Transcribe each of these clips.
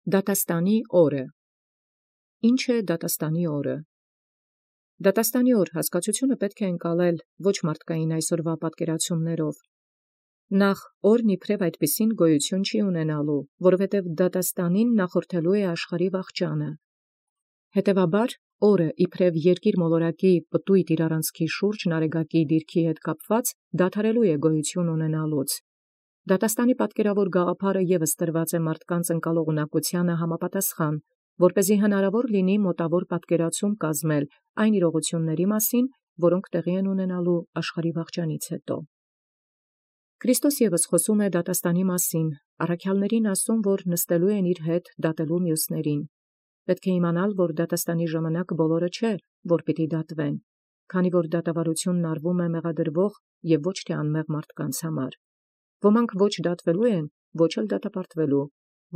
Դատաստանի օրը։ Ինչ է դատաստանի օրը։ Դատաստանի օր հասկացությունը պետք է ընկալել ոչ մարդկային այսօրվա պատկերացումներով։ Նախ օրն իբրև այդպիսին գոյություն չի ունենալու, որովհետև դատաստանին նախորդելու է աշխարհի վախճանը։ Հետևաբար օրը իբրև երկիր մոլորակի պտույտ իր առանցքի շուրջ նարեգակի դիրքի հետ կապված դադարելու է գոյություն ունենալուց։ Դատաստանի պատկերավոր գաղափարը ևս տրված է մարդկանց ընկալող ունակությանը համապատասխան, որպեսզի հնարավոր լինի մոտավոր պատկերացում կազմել այն իրողությունների մասին, որոնք տեղի են ունենալու աշխարհի վախճանից հետո։ Քրիստոս ևս խոսում է դատաստանի մասին, առաքյալներին ասում, որ նստելու են իր հետ դատելու մյուսներին։ Պետք է իմանալ, որ դատաստանի ժամանակ բոլորը չէ, որ պիտի դատվեն, քանի որ դատավարությունն արվում է մեղադրվող եւ ոչ թե անմեղ մարդկանց համար։ Ոմանք ոչ դատվելու են, ոչ էլ դատապարտվելու,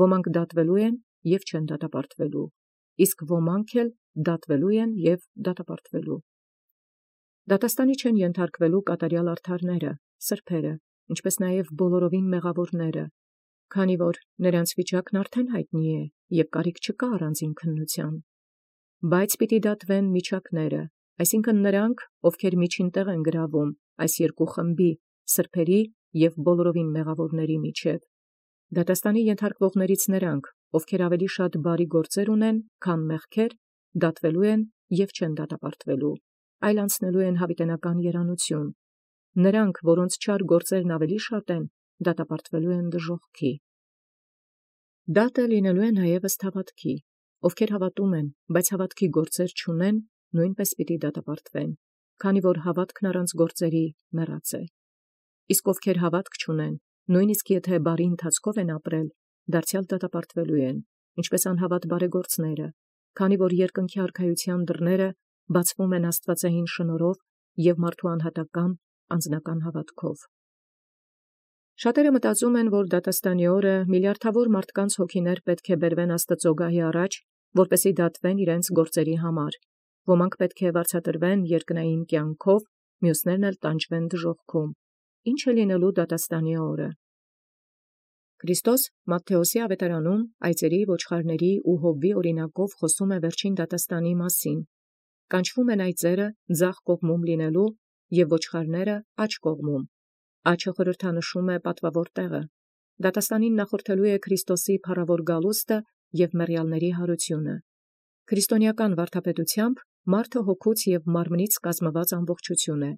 ոմանք դատվելու են եւ չեն դատապարտվելու, իսկ ոմանք էլ դատվելու են եւ դատապարտվելու։ Դատաստանի չեն ենթարկվելու կատարյալ արդարները, սրբերը, ինչպես նաեւ բոլորովին մեղավորները, քանի որ նրանց վիճակն արդեն հայտնի է եւ կարիք չկա առանձին քննության։ Բայց պիտի դատվեն միջակները, այսինքն նրանք, ովքեր միջին տեղ են գրավում այս երկու խմբի, սրբերի եւ բոլորովին մեղավորների միջև։ Դատաստանի ենթարկվողներից նրանք, ովքեր ավելի շատ բարի գործեր ունեն, քան մեղքեր, դատվելու են եւ չեն դատապարտվելու, այլ անցնելու են հավիտենական երանություն։ Նրանք, որոնց չար գործերն ավելի շատ են, դատապարտվելու են դժոխքի։ Դատը լինելու է նաեւ ըստ հավատքի, ովքեր հավատում են, բայց հավատքի գործեր չունեն, նույնպես պիտի դատապարտվեն, քանի որ հավատքն առանց գործերի մեռած է։ Իսկ ովքեր հավատք չունեն, նույնիսկ եթե բարի ընթացքով են ապրել, դարձյալ դատապարտվելու են, ինչպես անհավատ բարեգործները, քանի որ երկնքի արքայության դռները բացվում են աստվածային շնորհով եւ մարդու անհատական անձնական հավատքով։ Շատերը մտածում են, որ դատաստանի օրը միլիարդավոր մարդկանց հոգիներ պետք է բերվեն Աստծո գահի առաջ, որպեսզի դատվեն իրենց գործերի համար։ Ոմանք պետք է վարձատրվեն երկնային կյանքով, մյուսներն էլ տանջվեն դժոխքում։ Ինչ է լինելու դատաստանի օրը։ Քրիստոս Մատթեոսի ավետարանում այծերի, ոչխարների ու հովվի օրինակով խոսում է վերջին դատաստանի մասին։ Կանչվում են այծերը ձախ կողմում լինելու եւ ոչխարները աջ կողմում։ Աջը խորհրդանշում է պատվավոր տեղը։ Դատաստանին նախորդելու է Քրիստոսի փառավոր գալուստը եւ մեռյալների հարությունը։ Քրիստոնեական վարդապետությամբ մարդը հոգուց եւ մարմնից կազմված ամբողջություն է։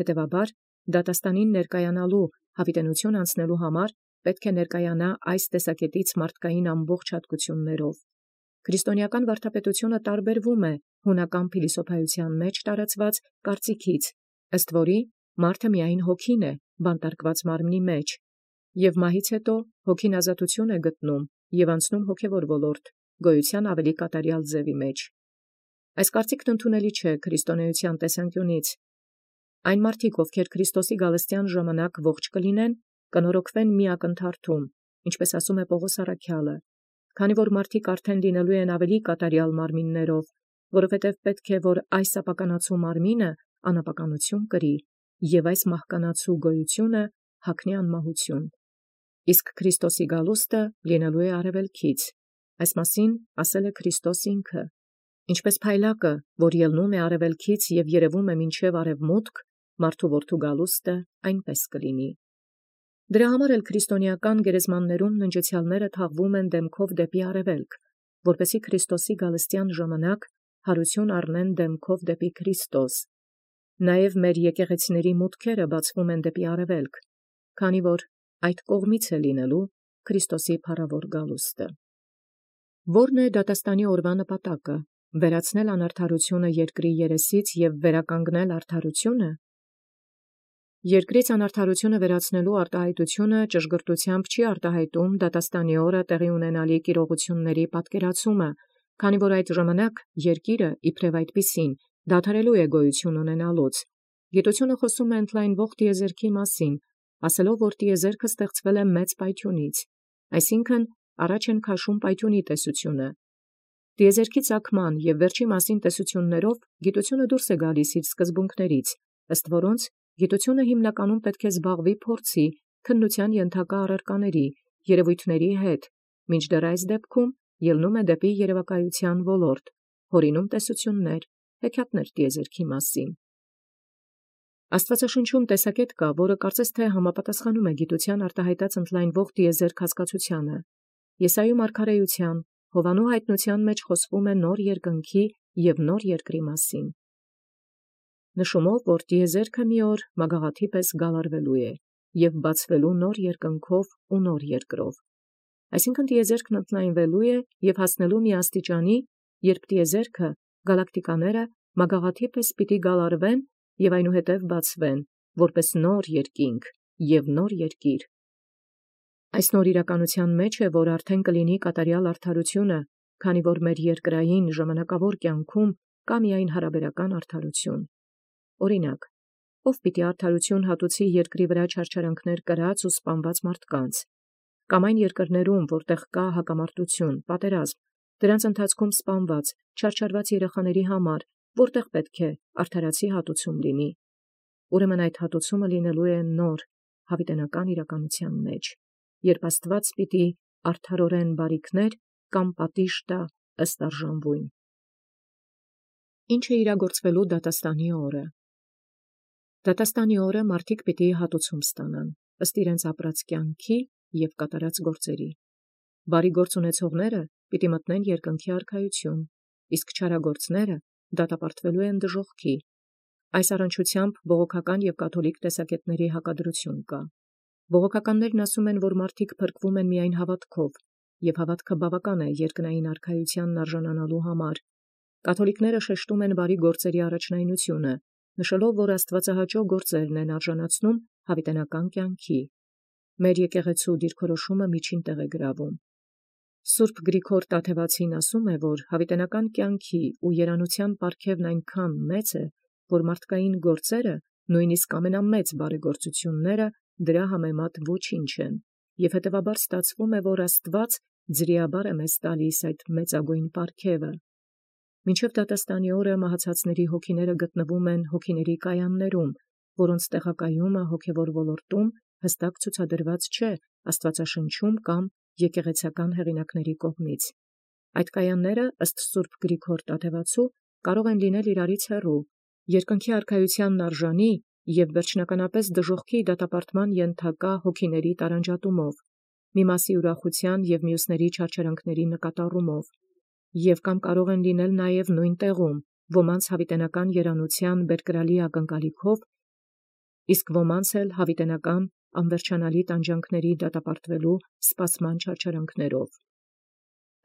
Հետևաբար, դատաստանին ներկայանալու հավիտենություն անցնելու համար պետք է ներկայանա այս տեսակետից մարդկային ամբողջ հատկություններով։ Քրիստոնեական վարդապետությունը տարբերվում է հունական փիլիսոփայության մեջ տարածված կարծիքից, ըստ որի մարդը միայն հոգին է, բանտարկված մարմնի մեջ, եւ մահից հետո հոգին ազատություն է գտնում եւ անցնում հոգեվոր ոլորտ, գոյության ավելի կատարյալ ձևի մեջ։ Այս կարծիքն ընդունելի չէ քրիստոնեության տեսանկյունից։ Այն մարդիկ, ովքեր Քրիստոսի գալստյան ժամանակ ողջ կլինեն, կնորոգվեն մի ակնթարթում, ինչպես ասում է Պողոս առաքյալը, քանի որ մարդիկ արդեն լինելու են ավելի կատարյալ մարմիններով, որովհետև պետք է, որ այս ապականացու մարմինը անապականություն կրի, եւ այս մահկանացու գոյությունը հագնի անմահություն։ Իսկ Քրիստոսի գալուստը լինելու է արևելքից։ Այս մասին ասել է Քրիստոս ինքը։ Ինչպես փայլակը, որ ելնում է արևելքից եւ երևում է մինչև արևմուտք, մարդու որդու գալուստը այնպես կլինի։ Դրա համար էլ քրիստոնեական գերեզմաններում ննջեցյալները թաղվում են դեմքով դեպի արևելք, որպեսզի Քրիստոսի գալստյան ժամանակ հարություն առնեն դեմքով դեպի Քրիստոս։ Նաև մեր եկեղեցիների մուտքերը բացվում են դեպի արևելք, քանի որ այդ կողմից է լինելու Քրիստոսի փառավոր գալուստը։ Որն է դատաստանի օրվա նպատակը։ Վերացնել անարդարությունը երկրի երեսից եւ վերականգնել արդարությունը։ Երկրից անարդարությունը վերացնելու արտահայտությունը ճշգրտությամբ չի արտահայտում դատաստանի օրը տեղի ունենալիք իրողությունների պատկերացումը, քանի որ այդ ժամանակ երկիրը իբրև այդպիսին դադարելու է գոյություն ունենալուց։ Գիտությունը խոսում է ընդլայնվող տիեզերքի մասին, ասելով, որ տիեզերքը ստեղծվել է մեծ պայթյունից, այսինքն առաջ են քաշում պայթյունի տեսությունը։ Տիեզերքի ծագման եւ վերջի մասին տեսություններով գիտությունը դուրս է գալիս իր սկզբունքներից, ըստ որոնց գիտությունը հիմնականում պետք է զբաղվի փորձի, քննության ենթակա առարկաների, երևույթների հետ, մինչդեռ այս դեպքում ելնում է դեպի երևակայության ոլորտ, հորինում տեսություններ, հեքիաթներ տիեզերքի մասին։ Աստվածաշնչում տեսակետ կա, որը կարծես թե համապատասխանում է գիտության արտահայտած ընդլայնվող տիեզերք հասկացությանը։ Եսայու մարգարեության, Հովանու հայտնության մեջ խոսվում է նոր երկնքի և նոր երկրի մասին։ Նշումով, որ տիեզերքը մի օր մագաղաթի պես գալարվելու է և բացվելու նոր երկնքով ու նոր երկրով։ Այսինքն տիեզերքն ընդլայնվելու է և հասնելու մի աստիճանի, երբ տիեզերքը, գալակտիկաները մագաղաթի պես պիտի գալարվեն և այնուհետև բացվեն, որպես նոր երկինք և նոր երկիր։ Այս նոր իրականության մեջ է, որ արդեն կլինի կատարյալ արդարությունը, քանի որ մեր երկրային ժամանակավոր կյանքում կա միայն հարաբերական արդարություն։ Օրինակ, ով պիտի արդարություն հատուցի երկրի վրա չարչարանքներ կրած ու սպանված մարդկանց, կամ այն երկրներում, որտեղ կա հակամարտություն, պատերազմ, դրանց ընթացքում սպանված, չարչարված երեխաների համար, որտեղ պետք է արդարացի հատուցում լինի։ Ուրեմն այդ հատուցումը լինելու է նոր, հավիտենական իրականության մեջ, երբ Աստված պիտի արդարորեն բարիքներ կամ պատիժ տա ըստ արժանվույն։ Ինչ է իրագործվելու դատաստանի օրը։ Դատաստանի օրը մարդիկ պիտի հատուցում ստանան, ըստ իրենց ապրած կյանքի և կատարած գործերի։ Բարի գործ ունեցողները պիտի մտնեն երկնքի արքայություն, իսկ չարագործները դատապարտվելու են դժոխքի։ Այս առնչությամբ բողոքական և կաթոլիկ տեսակետների հակադրություն կա։ Բողոքականներն ասում են, որ մարդիկ փրկվում են միայն հավատքով, և հավատքը բավական է երկնային արքայությանն արժանանալու համար։ Կաթոլիկները շեշտում են բարի գործերի առաջնայնությունը, նշելով, որ աստվածահաճո գործերն են արժանացնում հավիտենական կյանքի։ Մեր եկեղեցու դիրքորոշումը միջին տեղ է գրավում։ Սուրբ Գրիգոր Տաթևացին ասում է, որ հավիտենական կյանքի ու երանության պարգևն այնքան մեծ է, որ մարդկային գործերը, նույնիսկ ամենամեծ բարեգործությունները, դրա համեմատ ոչինչ են, և հետևաբար ստացվում է, որ Աստված ձրիաբար է մեզ տալիս այդ մեծագույն պարգևը։ Մինչև դատաստանի օրը մահացածների հոգիները գտնվում են հոգիների կայաններում, որոնց տեղակայումը հոգևոր ոլորտում հստակ ցուցադրված չէ Աստվածաշնչում կամ եկեղեցական հեղինակների կողմից։ Այդ կայանները, ըստ Սուրբ Գրիգոր Տաթևացու, կարող են լինել իրարից հեռու, երկնքի արքայությանն արժանի և վերջնականապես դժոխքի դատապարտման ենթակա հոգիների տարանջատումով, մի մասի ուրախության և մյուսների չարչարանքների նկատառումով, և կամ կարող են լինել նաև նույն տեղում, ոմանց հավիտենական երանության բերկրալի ակնկալիքով, իսկ ոմանց էլ հավիտենական անվերջանալի տանջանքների դատապարտվելու սպասման չարչարանքներով։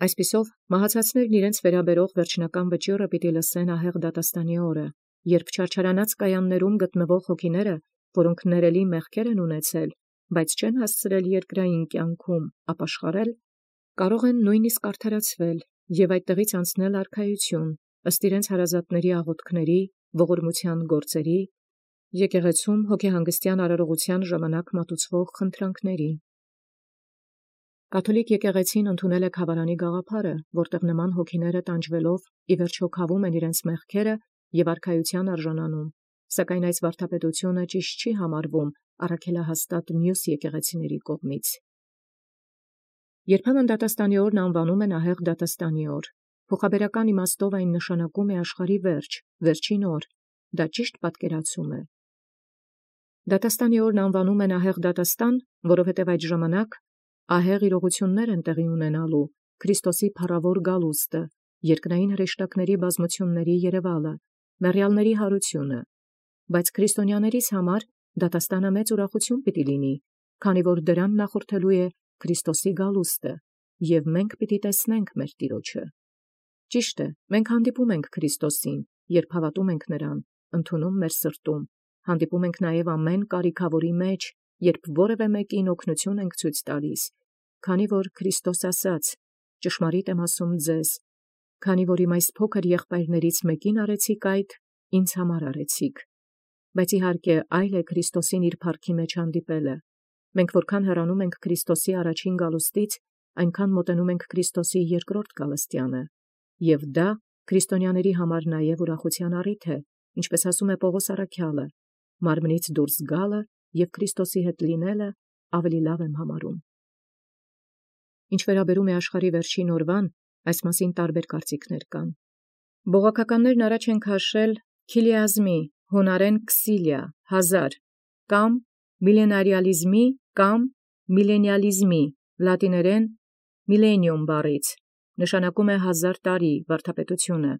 Այսպիսով, մահացածներն իրենց վերաբերող վերջնական վճիռը պիտի լսեն ահեղ դատաստանի օրը, երբ չարչարանած կայաններում գտնվող հոգիները, որոնք ներելի մեղքեր են ունեցել, բայց չեն հասցրել երկրային կյանքում ապաշխարել, կարող են նույնիսկ արդարացվել և այդտեղից անցնել արքայություն, ըստ իրենց հարազատների աղոթքների, ողորմության գործերի, եկեղեցում հոգեհանգստյան արարողության ժամանակ մատուցվող խնդրանքների։ Կաթոլիկ եկեղեցին ընդունել է Քավարանի գաղափարը, որտեղ նման հոգիները տանջվելով ի վերջո քավում են իրենց մեղքերը և արքայության արժանանում, սակայն այս վարդապետությունը ճիշտ չի համարվում առաքելահաստատ մյուս եկեղեցիների կողմից։ Երբեմն դատաստանի օրն անվանում են ահեղ դատաստանի օր։ Փոխաբերական իմաստով այն նշանակում է աշխարհի վերջ, վերջին օր, դա ճիշտ պատկերացում է։ Դատաստանի օրն անվանում են ահեղ դատաստան, որովհետև այդ ժամանակ ահեղ իրողություններ են տեղի ունենալու, Քրիստոսի փառավոր գալուստը, երկնային հրեշտակների բազմությունների երևալը, մեռյալների հարությունը, բայց քրիստոնյաներիս համար դատաստանը մեծ ուրախություն պիտի լինի, քանի որ դրան նախորդելու է Քրիստոսի գալուստը, և մենք պիտի տեսնենք մեր Տիրոջը։ Ճիշտ է, մենք հանդիպում ենք Քրիստոսին, երբ հավատում ենք նրան, ընդունում մեր սրտում, հանդիպում ենք նաև ամեն կարիքավորի մեջ, երբ որևէ մեկին օգնություն ենք ցույց տալիս, քանի որ Քրիստոս ասաց. «Ճշմարիտ եմ ասում ձեզ, քանի որ իմ այս փոքր եղբայրներից մեկին արեցիք այդ, ինձ համար արեցիք»։ Բայց իհարկե այլ է Քրիստոսին իր փառքի մեջ հանդիպելը։ Մենք որքան հեռանում ենք Քրիստոսի առաջին գալուստից, այնքան մոտենում ենք Քրիստոսի երկրորդ գալստյանը, և դա քրիստոնյաների համար նաև ուրախության առիթ է, ինչպես ասում է Պողոս առաքյալը. «Մարմնից դուրս գալը և Քրիստոսի հետ լինելը ավելի լավ եմ համարում»։ Ինչ վերաբերում է աշխարհի վերջին օրվան, Այս մասին տարբեր կարծիքներ կան։ Բողոքականներն առաջ են քաշել քիլիազմի, հունարեն քսիլիա, 1000, կամ միլենարիալիզմի կամ միլենիալիզմի, լատիներեն millennium բառից, նշանակում է 1000 տարի վարդապետությունը,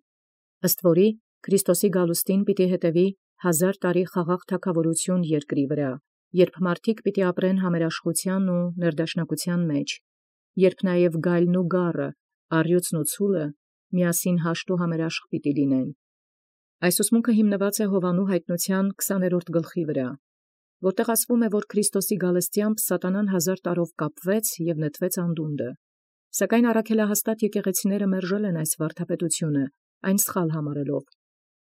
ըստ որի Քրիստոսի գալուստին պիտի հետևի 1000 տարի խաղաղ թագավորություն երկրի վրա, երբ մարդիկ պիտի ապրեն համերաշխության ու ներդաշնակության մեջ, երբ նաև գայլն ու գառը, առյուծն ու ցուլը միասին հաշտ ու համերաշխ պիտի լինեն։ Այս ուսմունքը հիմնված է Հովանու հայտնության 20-րդ գլխի վրա, որտեղ ասվում է, որ Քրիստոսի գալստեամբ սատանան 1000 տարով կապվեց և նետվեց անդունդը։ Սակայն առաքելահաստատ եկեղեցիները մերժել են այս վարդապետությունը, այն սխալ համարելով։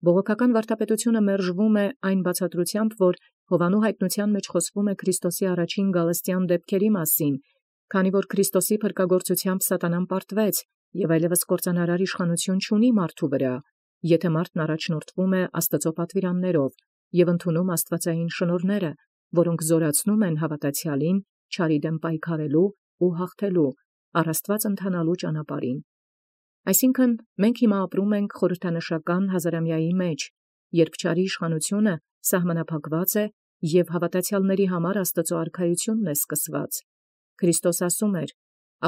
Բողոքական վարդապետությունը մերժվում է այն բացատրությամբ, որ Հովանու հայտնության մեջ խոսվում է Քրիստոսի առաջին գալստյան դեպքերի մասին, քանի որ Քրիստոսի փրկագործությամբ սատանան պարտվեց և այլևս կործանարար իշխանություն չունի մարդու վրա, եթե մարդն առաջնորդվում է Աստծո պատվիրաններով և ընդունում աստվածային շնորհները, որոնք զորացնում են հավատացյալին չարի դեմ պայքարելու ու հաղթելու, առ Աստված ընթանալու ճանապարհին։ Այսինքն, մենք հիմա ապրում ենք խորհրդանշական հազարամյայի մեջ, երբ չարի իշխանությունը սահմանափակված է և հավատացյալների համար Աստծո արքայությունն է սկսված։ Քրիստոս ասում էր.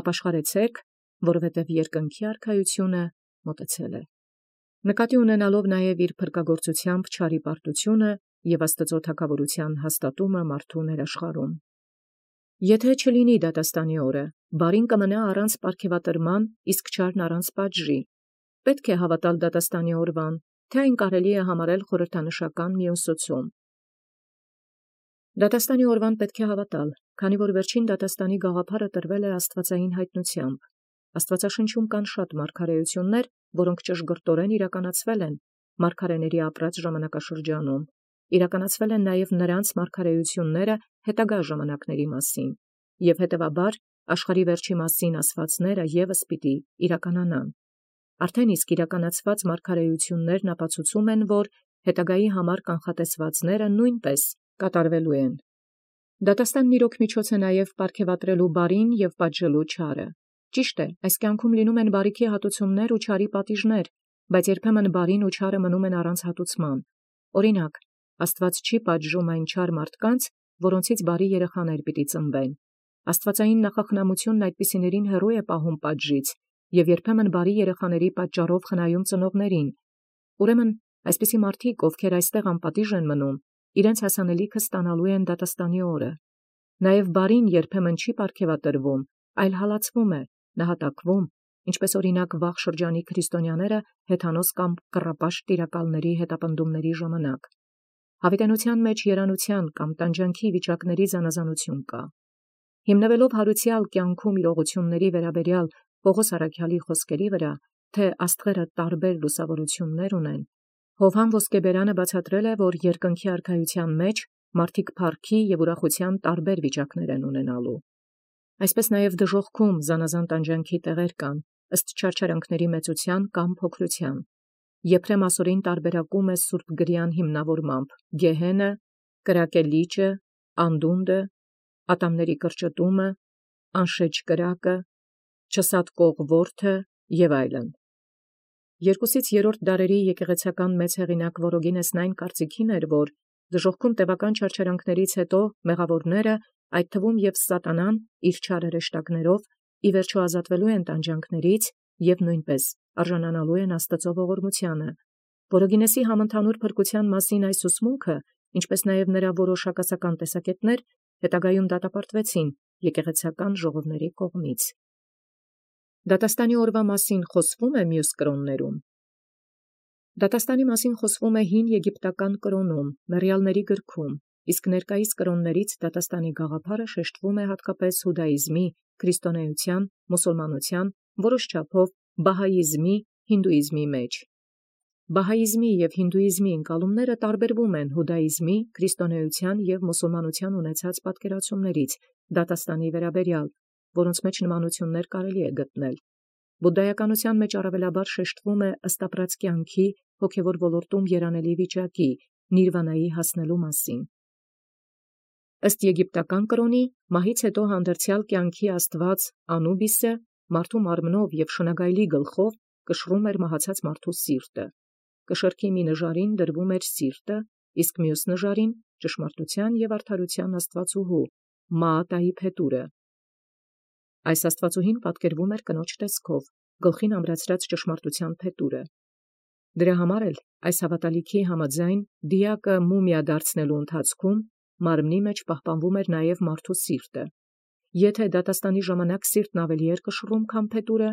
«Ապաշխարեցեք, որովհետև երկնքի արքայությունը մոտեցել է»։ Նկատի ունենալով նաև իր փրկագործությամբ չարի պարտությունը և Աստծո թագավորության հաստատումը մարդու ներաշխարհում։ Եթե չլինի դատաստանի օրը, բարին կմնա առանց պարգևատրման, իսկ չարն առանց պատժի։ Պետք է հավատալ դատաստանի օրվան, թե այն կարելի է համարել խորհրդանշական մի ուսուցում։ Դատաստանի օրվան պետք է հավատալ, քանի որ վերջին դատաստանի գաղափարը տրվել է աստվածային հայտնությամբ։ Աստվածաշնչում կան շատ մարգարեություններ, որոնք ճշգրտորեն իրականացվել են մարգարեների ապրած ժամանակաշրջանում։ Իրականացվել են նաև նրանց մարգարեությունները հետագա ժամանակների մասին, և հետևաբար աշխարհի վերջի մասին ասվածները ևս պիտի իրականանան։ Արդեն իսկ իրականացված մարգարեություններն ապացուցում են, որ հետագայի համար կանխատեսվածները նույնպես կատարվելու են։ Դատաստանն իրոք միջոց է նաև պարգևատրելու բարին և պատժելու չարը։ Ճիշտ է, այս կյանքում լինում են բարիքի հատուցումներ ու չարի պատիժներ, բայց երբեմն բարին ու չարը մնում են առանց հատուցման։ Օրինակ, Աստված չի պատժում այն չար մարդկանց, որոնցից բարի երեխաներ պիտի ծնվեն։ Աստվածային նախախնամությունն այդպիսիներին հեռու է պահում պատժից և երբեմն բարի երեխաների պատճառով խնայում ծնողներին։ Ուրեմն, այսպիսի մարդիկ, ովքեր այստեղ անպատիժ են մնում, իրենց հասանելիքը ստանալու են դատաստանի օրը։ Նաև բարին երբեմն չի պարգևատրվում, այլ հալածվում է, նահատակվում, ինչպես օրինակ վաղ շրջանի քրիստոնյաները հեթանոս կամ կռապաշտ տիրակալների հետապնդումների ժամանակ։ Հավիտենության մեջ երանության կամ տանջանքի վիճակների զանազանություն կա։ Հիմնվելով հարուցյալ կյանքում իրողությունների վերաբերյալ Պողոս առաքյալի խոսքերի վրա, թե աստղերը տարբեր լուսավորություններ ունեն, Հովհան Ոսկեբերանը բացատրել է, որ երկնքի արքայության մեջ մարդիկ փառքի և ուրախության տարբեր վիճակներ են ունենալու։ Այսպես նաև դժոխքում զանազան տանջանքի տեղեր կան, ըստ չարչարանքների մեծության կամ փոքրության։ Եփրեմ ասորին տարբերակում է Սուրբ Գրյան հիմնավորմամբ գեհենը, կրակելիճը, անդունդը, ատամների կրճտումը, անշեջ կրակը, չսատկող որդը և այլն։ 2-3 դարերի եկեղեցական մեծ հեղինակ Վորոգինեսն այն կարծիքին էր, որ դժոխքում տևական չարչարանքներից հետո մեղավորները, այդ թվում և սատանան իր չար հրեշտակներով, ի վերջո ազատվելու են տանջանքներից և նույնպես արժանանալու են Աստծո ողորմությանը։ Վորոգինեսի համընդհանուր փրկության մասին այս ուսմունքը, ինչպես նաև նրա որոշ հակասական տեսակետներ, հետագայում դատապարտվեցին եկեղեցական ժողովների կողմից։ Դատաստանի օրվա մասին խոսվում է մյուս կրոններում։ Դատաստանի մասին խոսվում է հին եգիպտական կրոնում, Մեռյալների գրքում, իսկ ներկայիս կրոններից դատաստանի գաղափարը շեշտվում է հատկապես հուդայիզմի, քրիստոնեության, մուսուլմանության, որոշ չափով բահաիզմի, հինդուիզմի մեջ։ Բահաիզմի և հինդուիզմի ընկալումները տարբերվում են հուդայիզմի, քրիստոնեության և մուսուլմանության ունեցած պատկերացումներից դատաստանի վերաբերյալ, որոնց մեջ նմանություններ կարելի է գտնել։ Բուդդայականության մեջ առավելաբար շեշտվում է ըստ ապրած կյանքի հոգևոր ոլորտում երանելի վիճակի, նիրվանայի հասնելու մասին։ Ըստ եգիպտական կրոնի, մահից հետո հանդերձյալ կյանքի աստված Անուբիսը մարդու մարմնով և շնագայլի գլխով կշռում էր մահացած մարդու սիրտը, կշեռքի մի նժարին դրվում էր սիրտը, իսկ մյուս նժարին ճշմարտության և արդարության աստվածուհու Մաատայի փետուրը։ Այս աստվածուհին պատկերվում էր կնոջ տեսքով, գլխին ամրացրած ճշմարտության փետուրը։ Դրա համար էլ այս հավատալիքի համաձայն դիակը մումիա դարձնելու ընթացքում մարմնի մեջ պահպանվում էր նաև մարդու սիրտը։ Եթե դատաստանի ժամանակ սիրտն ավելի էր կշռում, քան փետուրը,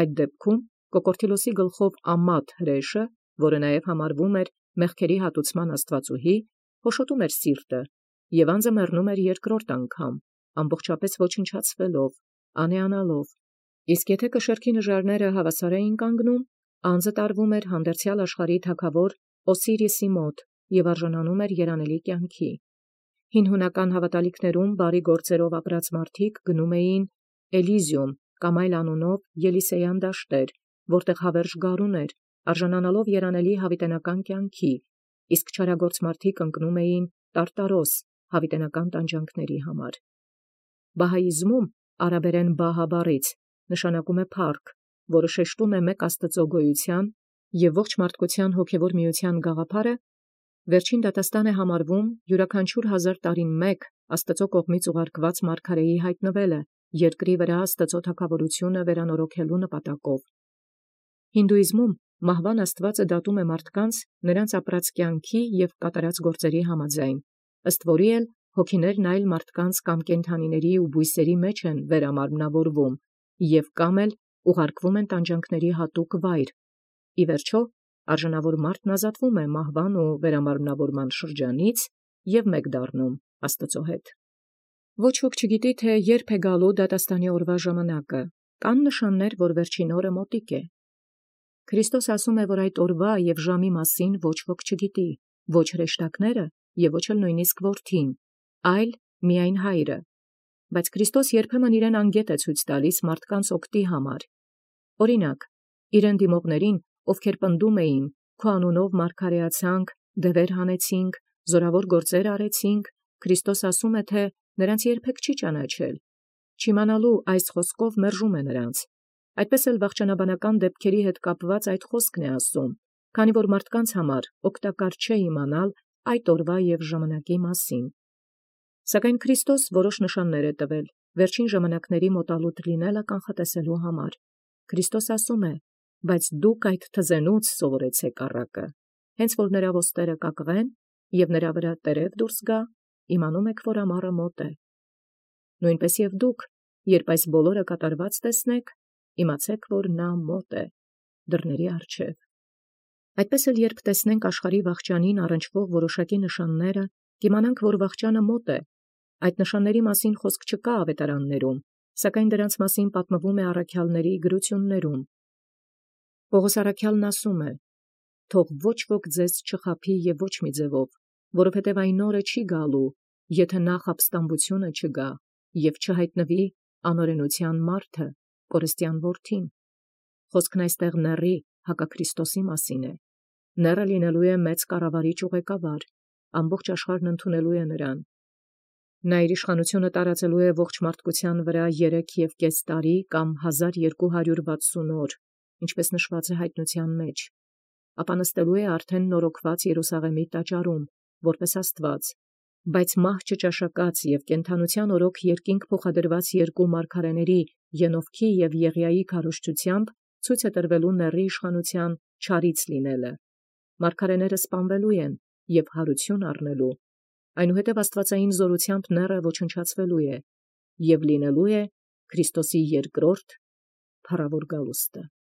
այդ դեպքում Կոկորդիլոսի գլխով ամատ հրեշը, որը նաև համարվում էր մեղքերի հատուցման աստվածուհի, փոշոտում էր սիրտը և անձը մեռնում էր երկրորդ անգամ, ամբողջապես ոչնչացվելով, անեանալով։ Իսկ եթե կշեռքի նժարները հավասար էին կանգնում, անձը տարվում էր հանդերձյալ աշխարհի թագավոր Օսիրիսի մոտ և արժանանում էր երանելի կյանքի։ Հին հունական հավատալիքներում բարի գործերով ապրած մարդիկ գնում էին Էլիզիում կամ այլ անունով Ելիսեյան դաշտեր, որտեղ հավերժ գարուն էր, արժանանալով երանելի հավիտենական կյանքի, իսկ չարագործ մարդիկ ընկնում էին Տարտարոս հավիտենական տանջանքների համար։ Բահաիզմում արաբերեն բահա բառից նշանակում է փառք, որը շեշտում է մեկ Աստծո գոյության և ողջ մարդկության հոգևոր միության գաղափարը, վերջին դատաստան է համարվում յուրաքանչյուր 1000 տարին մեկ Աստծո կողմից ուղարկված մարգարեի հայտնվելը երկրի վրա Աստծո թագավորությունը վերանորոգելու նպատակով։ Հինդուիզմում մահվան Աստվածը դատում է մարդկանց նրանց ապրած կյանքի և կատարած գործերի համաձայն, ըստ որի էլ հոգիներն այլ մարդկանց կամ կենդանիների ու բույսերի մեջ են վերամարմնավորվում և կամ էլ ուղարկվում են տանջանքների հատուկ վայր։ Ի վերջո, արժանավոր մարդն ազատվում է մահվան ու վերամարմնավորման շրջանից և մեկ դառնում Աստծո հետ։ Ոչ ոք չգիտի, թե երբ է գալու դատաստանի օրվա ժամանակը, կան նշաններ, որ վերջին օրը մոտիկ է։ Քրիստոս ասում է, որ այդ օրվա և ժամի մասին ոչ ոք չգիտի, ոչ հրեշտակները և ոչ էլ նույնիսկ որդին, այլ միայն Հայրը։ Բայց Քրիստոս երբեմն իրեն անգետ է ցույց տալիս մարդկանց օգտի համար։ Օրինակ, իրեն դիմողներին, ովքեր պնդում էին, քո անունով մարգարեացանք, դևեր հանեցինք, զորավոր գործեր արեցինք, Քրիստոս ասում է, թե նրանց երբեք չի ճանաչել։ Չիմանալու այս խոսքով մերժում է նրանց։ Այդպես էլ վախճանաբանական դեպքերի հետ կապված այդ խոսքն է ասում, քանի որ մարդկանց համար օգտակար չէ իմանալ այդ օրվա և ժամանակի մասին։ Սակայն Քրիստոս որոշ նշաններ է տվել վերջին ժամանակների մոտալուտ լինելը կանխատեսելու համար։ Քրիստոս ասում է. «Բայց դուք այդ թզենուց սովորեցեք առակը. հենց որ նրա ոստերը կակղեն և նրա վրա տերև դուրս գա, իմանում եք, որ ամառը մոտ է։ Նույնպես և դուք, երբ այս բոլորը կատարված տեսնեք, իմացեք, որ նա մոտ է, դռների առջև»։ Այդպես էլ երբ տեսնենք աշխարհի վախճանին առնչվող որոշակի նշանները, կիմանանք, որ վախճանը մոտ է։ Այդ նշանների մասին խոսք չկա ավետարաններում, սակայն դրանց մասին պատմվում է առաքյալների գրություններում։ Պողոս առաքյալն ասում է. «Թող ոչ ոք ձեզ չխաբի և ոչ մի ձևով, որովհետև այն օրը չի գալու, եթե նախ ապստամբությունը չգա և չհայտնվի անօրենության մարդը, կորստյան որդին»։ Խոսքն այստեղ նեռի հակաքրիստոսի մասին է։ Նեռը լինելու է մեծ կառավարիչ ու ղեկավար, ամբողջ աշխարհն ընդունելու է նրան։ Նա իր իշխանությունը տարածելու է ողջ մարդկության վրա 3,5 տարի կամ 1260 օր, ինչպես նշված է հայտնության մեջ, ապա նստելու է արդեն նորոգված Երուսաղեմի տաճարում, որպես Աստված, բայց մահ չճաշակած և կենդանության օրոք երկինք փոխադրված երկու մարգարեների Ենովքի և Եղիայի քարոզչությամբ ցույց է տրվելու նեռի իշխանության չարից լինելը։ Մարգարեները սպանվելու են և հարություն առնելու, այնուհետև աստվածային զորությամբ նեռը ոչնչացվելու է և լինելու է Քրիստոսի երկրորդ փառավոր գալուստը։